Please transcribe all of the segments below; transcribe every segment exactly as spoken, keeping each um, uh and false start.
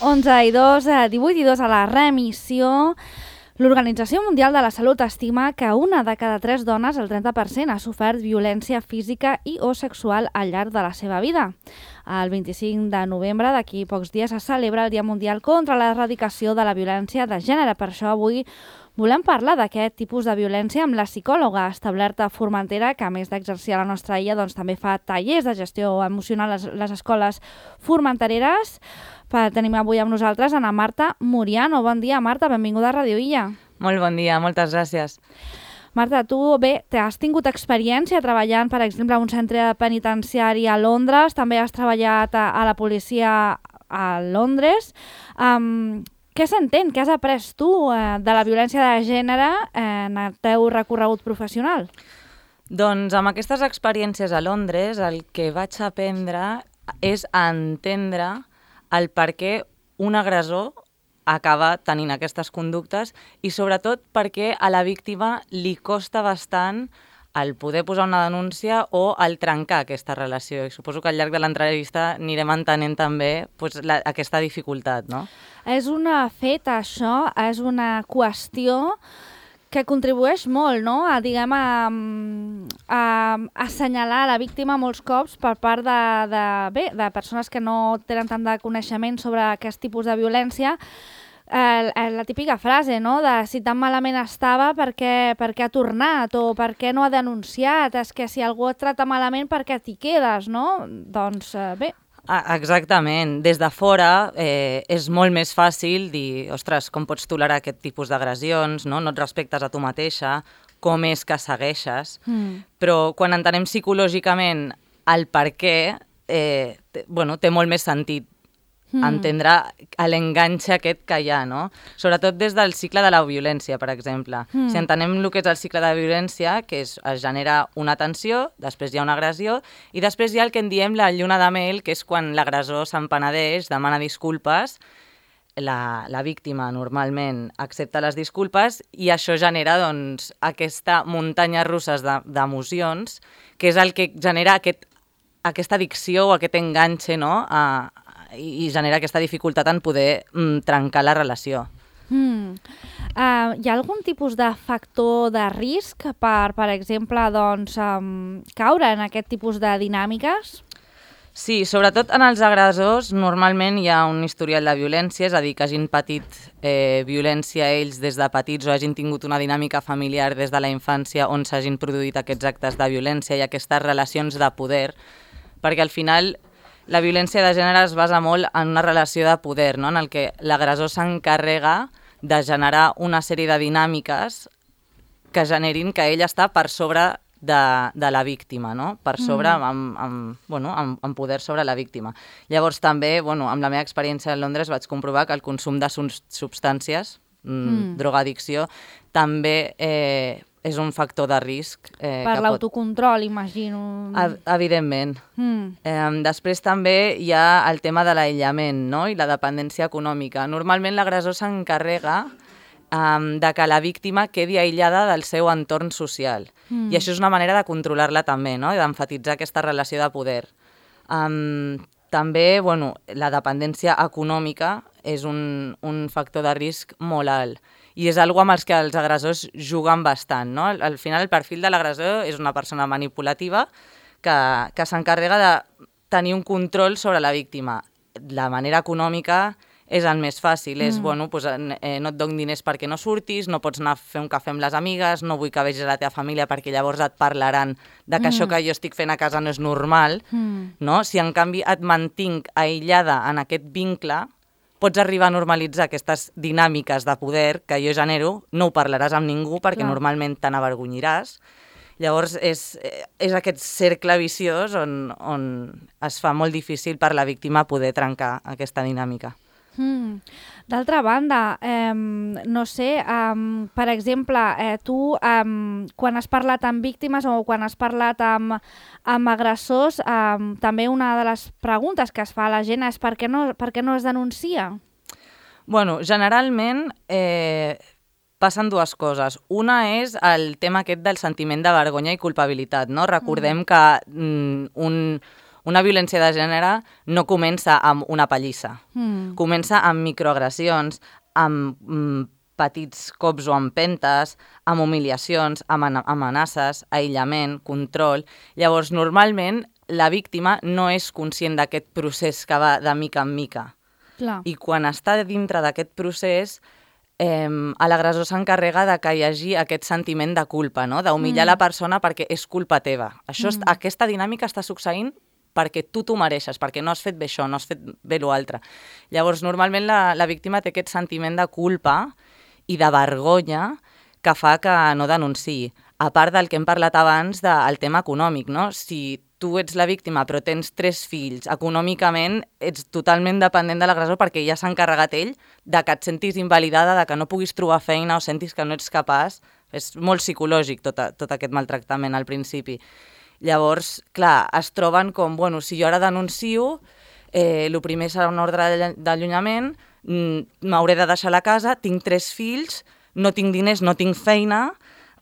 onze i dos, divuit i dos a la remissió. L'Organització Mundial de la Salut estima que una de cada tres dones, el trenta per cent, ha sofert violència física i o sexual al llarg de la seva vida. El vint-i-cinc de novembre, d'aquí pocs dies, es celebra el Dia Mundial contra l'Erradicació de la Violència de Gènere. Per això avui volem parlar d'aquest tipus de violència amb la psicòloga establerta a Formentera, que a més d'exercir a la nostra illa, doncs, també fa tallers de gestió emocional a les, les escoles formentereres. Per, tenim avui amb nosaltres Ana Marta Muriano. Bon dia, Marta, benvinguda a Ràdio Illa. Molt bon dia, moltes gràcies. Marta, tu bé, has tingut experiència treballant, per exemple, a un centre penitenciari a Londres, també has treballat a, a la policia a Londres. Um, què s'entén, què has après tu eh, de la violència de gènere en el teu recorregut professional? Doncs amb aquestes experiències a Londres el que vaig aprendre és a entendre el per què un agressor acaba tenint aquestes conductes i sobretot perquè a la víctima li costa bastant el poder posar una denúncia o el trencar aquesta relació. I suposo que al llarg de l'entrevista anirem entenent també pues, la, aquesta dificultat, no? És un fet, això, és una qüestió que contribueix molt, no? A, diguem, a, a assenyalar la víctima molts cops per part de, de, bé, de persones que no tenen tant de coneixement sobre aquest tipus de violència. Eh, la típica frase, no?, de si tan malament estava, per què, per què ha tornat o per què no ha denunciat? És que si algú et trata malament, per què t'hi quedes, no? Doncs eh, bé... Ah, exactament. Des de fora eh, és molt més fàcil dir, ostres, com pots tolerar aquest tipus d'agressions, no? No et respectes a tu mateixa, com és que segueixes, mm. però quan entenem psicològicament el per què, eh, t- bueno, té molt més sentit mm. entendre l'enganxe aquest que hi ha, no? Sobretot des del cicle de la violència, per exemple. Mm. Si entenem el que és el cicle de la violència, que és, es genera una tensió, després hi ha una agressió, i després hi ha el que en diem la lluna de mel, que és quan l'agressor se'n penedeix, demana disculpes, la, la víctima normalment accepta les disculpes i això genera doncs, aquesta muntanya russa d'emocions, que és el que genera aquest, aquesta addicció o aquest enganxe, no?, a, i genera aquesta dificultat en poder mm, trencar la relació. Mm. Uh, hi ha algun tipus de factor de risc per, per exemple, doncs, um, caure en aquest tipus de dinàmiques? Sí, sobretot en els agressors normalment hi ha un historial de violència, és a dir, que hagin patit eh, violència ells des de petits o hagin tingut una dinàmica familiar des de la infància on s'hagin produït aquests actes de violència i aquestes relacions de poder, perquè al final la violència de gènere es basa molt en una relació de poder, no?, en el que l'agressor s'encarrega de generar una sèrie de dinàmiques que generin que ell està per sobre de, de la víctima, no?, per sobre, mm. amb, amb, bueno, amb, amb poder sobre la víctima. Llavors també, bueno, amb la meva experiència a Londres vaig comprovar que el consum de substàncies, mm, mm. drogadicció, també eh, és un factor de risc. Eh, per l'autocontrol, pot... imagino. Evidentment. Mm. Eh, després també hi ha el tema de l'aïllament, no?, i la dependència econòmica. Normalment l'agressor s'encarrega um, de que la víctima quedi aïllada del seu entorn social. Mm. I això és una manera de controlar-la també, no?, i d'emfatitzar aquesta relació de poder. Um, també, bueno, la dependència econòmica és un, un factor de risc molt alt. I és algo amb els que els agressors juguen bastant, no? Al final el perfil de l'agressor és una persona manipulativa que, que s'encarrega de tenir un control sobre la víctima. La manera econòmica és el més fàcil, és, mm. bueno, pues, eh, no et dono diners perquè no surtis, no pots anar a fer un cafè amb les amigues, no vull que vegis la teva família perquè llavors et parlaran de que mm. això que jo estic fent a casa no és normal, mm. no? Si en canvi et mantinc aïllada en aquest vincle, pots arribar a normalitzar aquestes dinàmiques de poder que jo genero, no ho parlaràs amb ningú perquè Clar. Normalment te n'avergonyiràs. Llavors és, és aquest cercle viciós on, on es fa molt difícil per la víctima poder trencar aquesta dinàmica. Mm. D'altra banda, eh, no sé, eh, per exemple, eh, tu eh, quan has parlat amb víctimes o quan has parlat amb, amb agressors, eh, també una de les preguntes que es fa a la gent és per què no, per què no es denuncia? Bueno, generalment eh, passen dues coses. Una és el tema aquest del sentiment de vergonya i culpabilitat, no? Recordem mm. que mm, un... una violència de gènere no comença amb una pallissa, mm. comença amb microagressions, amb mm, petits cops o empentes, amb humiliacions, amb amenaces, aïllament, control. Llavors, normalment, la víctima no és conscient d'aquest procés que va de mica en mica. Clar. I quan està dintre d'aquest procés, eh, l'agressor s'encarrega de que hi hagi aquest sentiment de culpa, no? D'humillar mm. la persona perquè és culpa teva. Això mm. Aquesta dinàmica està succeint perquè tu t'ho mereixes, perquè no has fet bé això, no has fet bé l'altre. Llavors, normalment la, la víctima té aquest sentiment de culpa i de vergonya que fa que no denunciï. A part del que hem parlat abans del tema econòmic, no? Si tu ets la víctima però tens tres fills, econòmicament ets totalment dependent de l'agressor perquè ja s'ha encarregat ell de que et sentis invalidada, de que no puguis trobar feina o sentis que no ets capaç. És molt psicològic tot, a, tot aquest maltractament al principi. Llavors, clar, es troben com, bueno, si jo ara denuncio, eh, el primer serà una ordre d'allunyament, m'hauré de deixar la casa, tinc tres fills, no tinc diners, no tinc feina,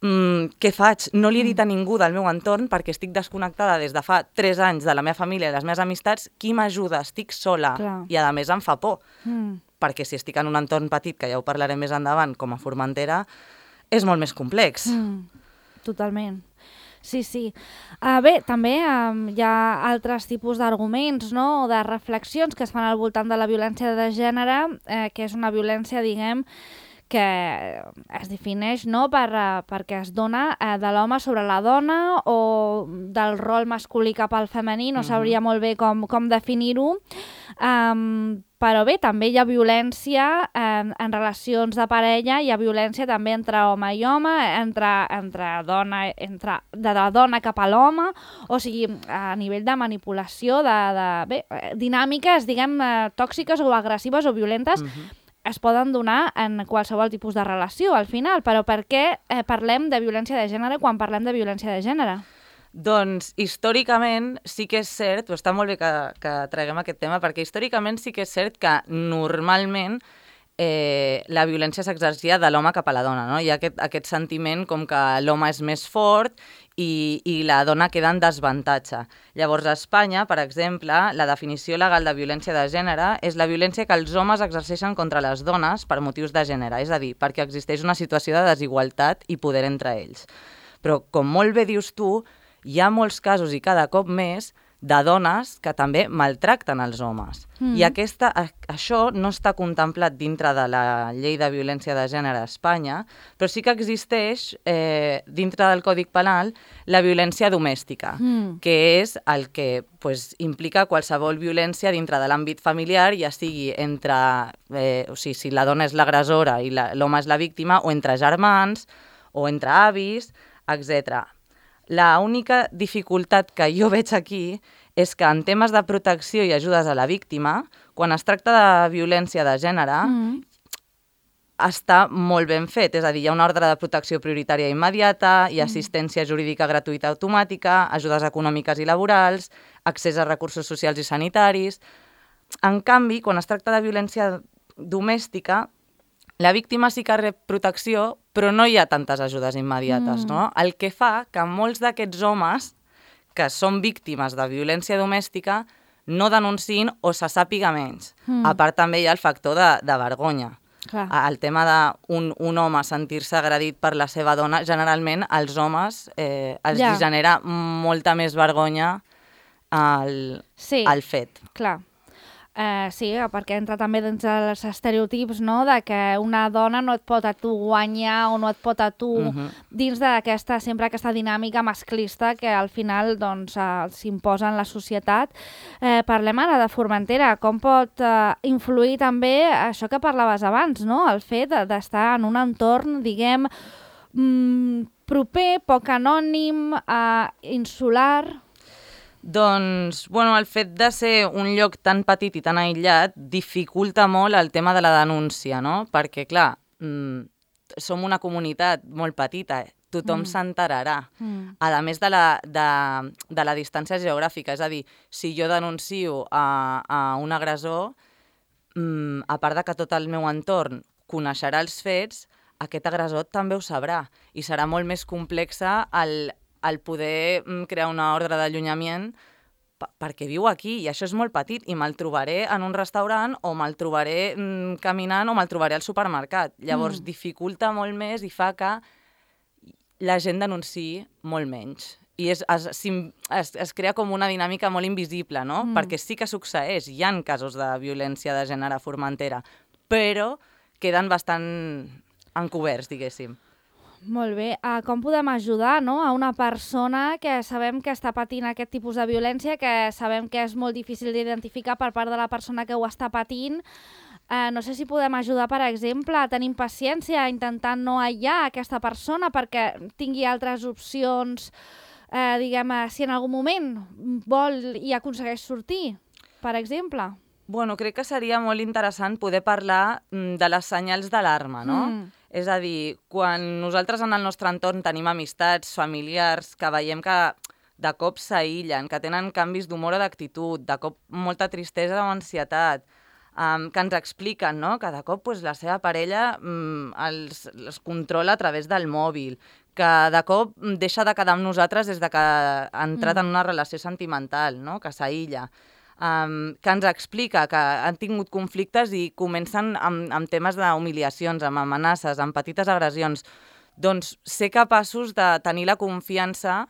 mm, què faig? No li he dit a ningú del meu entorn perquè estic desconnectada des de fa tres anys de la meva família i les meves amistats, qui m'ajuda? Estic sola. Clar. I a més em fa por, mm. perquè si estic en un entorn petit, que ja ho parlarem més endavant, com a Formentera, és molt més complex. Mm. Totalment. Sí, sí. Uh, bé, també um, hi ha altres tipus d'arguments, no?, o de reflexions que es fan al voltant de la violència de gènere, eh, que és una violència, diguem, que es defineix, no?, per, uh, perquè es dona uh, de l'home sobre la dona o del rol masculí cap al femení, no sabria molt bé com, com definir-ho. Um, però bé, també hi ha violència eh, en relacions de parella, hi ha violència també entre home i home, entre, entre dona, entre, de la dona cap a l'home, o sigui, a nivell de manipulació, de, de bé, dinàmiques, diguem, eh, tòxiques o agressives o violentes, uh-huh. es poden donar en qualsevol tipus de relació, al final. Però per què eh, parlem de violència de gènere quan parlem de violència de gènere? Doncs, històricament, sí que és cert, però està molt bé que, que traguem aquest tema, perquè històricament sí que és cert que normalment eh, la violència s'exercia de l'home cap a la dona, no? Hi ha aquest, aquest sentiment com que l'home és més fort i, i la dona queda en desavantatge. Llavors, a Espanya, per exemple, la definició legal de violència de gènere és la violència que els homes exerceixen contra les dones per motius de gènere, és a dir, perquè existeix una situació de desigualtat i poder entre ells. Però, com molt bé dius tu, hi ha molts casos i cada cop més de dones que també maltracten els homes. Mm. I aquesta, això no està contemplat dintre de la llei de violència de gènere a Espanya, però sí que existeix eh, dintre del Codi Penal la violència domèstica, mm. que és el que pues, implica qualsevol violència dintre de l'àmbit familiar, ja sigui entre, eh, o sigui, si la dona és l'agressora i l'home és la víctima, o entre germans, o entre avis, etcètera. La única dificultat que jo veig aquí és que en temes de protecció i ajudes a la víctima, quan es tracta de violència de gènere, mm. està molt ben fet. És a dir, hi ha una ordre de protecció prioritària immediata, hi ha assistència jurídica gratuïta automàtica, ajudes econòmiques i laborals, accés a recursos socials i sanitaris. En canvi, quan es tracta de violència domèstica, la víctima sí que rep protecció, però no hi ha tantes ajudes immediates, mm. no? El que fa que molts d'aquests homes que són víctimes de violència domèstica no denunciïn o se sàpiga menys. Mm. A part també hi ha el factor de, de vergonya. Clar. El tema d'un un home sentir-se agredit per la seva dona, generalment als homes eh, els ja. genera molta més vergonya al, sí. al fet. Clar. Uh, sí, perquè entra també dins dels estereotips, no?, de que una dona no et pot a tu guanyar o no et pot a tu uh-huh. dins d'aquesta sempre aquesta dinàmica masclista que al final doncs, uh, s'imposa en la societat. Uh, parlem ara de Formentera. Com pot uh, influir també això que parlaves abans, no?, el fet d'estar en un entorn, diguem, mm, proper, poc anònim, uh, insular... Doncs, bueno, el fet de ser un lloc tan petit i tan aïllat dificulta molt el tema de la denúncia, no? Perquè, clar, mmm, som una comunitat molt petita, eh? Tothom mm. s'enterarà. Mm. A més de la, de, de la distància geogràfica, és a dir, si jo denuncio a, a un agressor, mmm, a part de que tot el meu entorn coneixerà els fets, aquest agressor també ho sabrà i serà molt més complexa el... el poder crear una ordre d'allunyament perquè viu aquí i això és molt petit i me'l trobaré en un restaurant o me'l trobaré mm, caminant o me'l trobaré al supermercat. Llavors mm. dificulta molt més i fa que la gent denunciï molt menys. I es, es, es, es crea com una dinàmica molt invisible, no? Mm. Perquè sí que succeeix, hi ha casos de violència de gènere a Formentera, però queden bastant encoberts, diguéssim. Molt bé. Uh, com podem ajudar, no?, a una persona que sabem que està patint aquest tipus de violència, que sabem que és molt difícil d'identificar per part de la persona que ho està patint? Uh, no sé si podem ajudar, per exemple, a tenir paciència, intentant no aïllar aquesta persona perquè tingui altres opcions, uh, diguem, si en algun moment vol i aconsegueix sortir, per exemple. Bueno, crec que seria molt interessant poder parlar de les senyals d'alarma, no? Mm. És a dir, quan nosaltres en el nostre entorn tenim amistats, familiars, que veiem que de cop s'aïllen, que tenen canvis d'humor o d'actitud, de cop molta tristesa o ansietat, um, que ens expliquen, no?, que de cop pues, la seva parella um, els, els controla a través del mòbil, que de cop deixa de quedar amb nosaltres des de que ha entrat mm. en una relació sentimental, no?, que s'aïlla. Um, que ens explica que han tingut conflictes i comencen amb, amb temes d'humiliacions, amb amenaces, amb petites agressions. Doncs ser capaços de tenir la confiança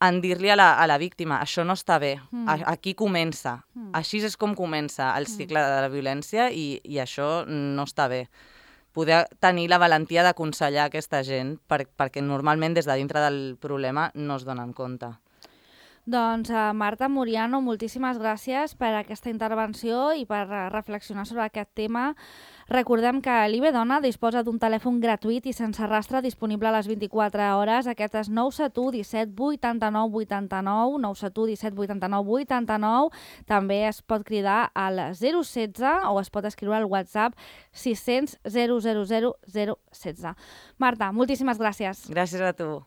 en dir-li a, la, a la víctima això no està bé, mm. a, aquí comença. Mm. Així és com comença el cicle de la violència i, i això no està bé. Poder tenir la valentia d'aconsellar aquesta gent per, perquè normalment des de dintre del problema no es donen compte. Doncs uh, Marta Muriano, moltíssimes gràcies per aquesta intervenció i per uh, reflexionar sobre aquest tema. Recordem que l'I B Dona disposa d'un telèfon gratuït i sense rastre disponible a les vint-i-quatre hores. Aquest és nou set u disset vuitanta-nou vuitanta-nou, nou set u disset vuitanta-nou vuitanta-nou. També es pot cridar al zero setze o es pot escriure al WhatsApp sis cents zero zero zero zero setze. Marta, moltíssimes gràcies. Gràcies a tu.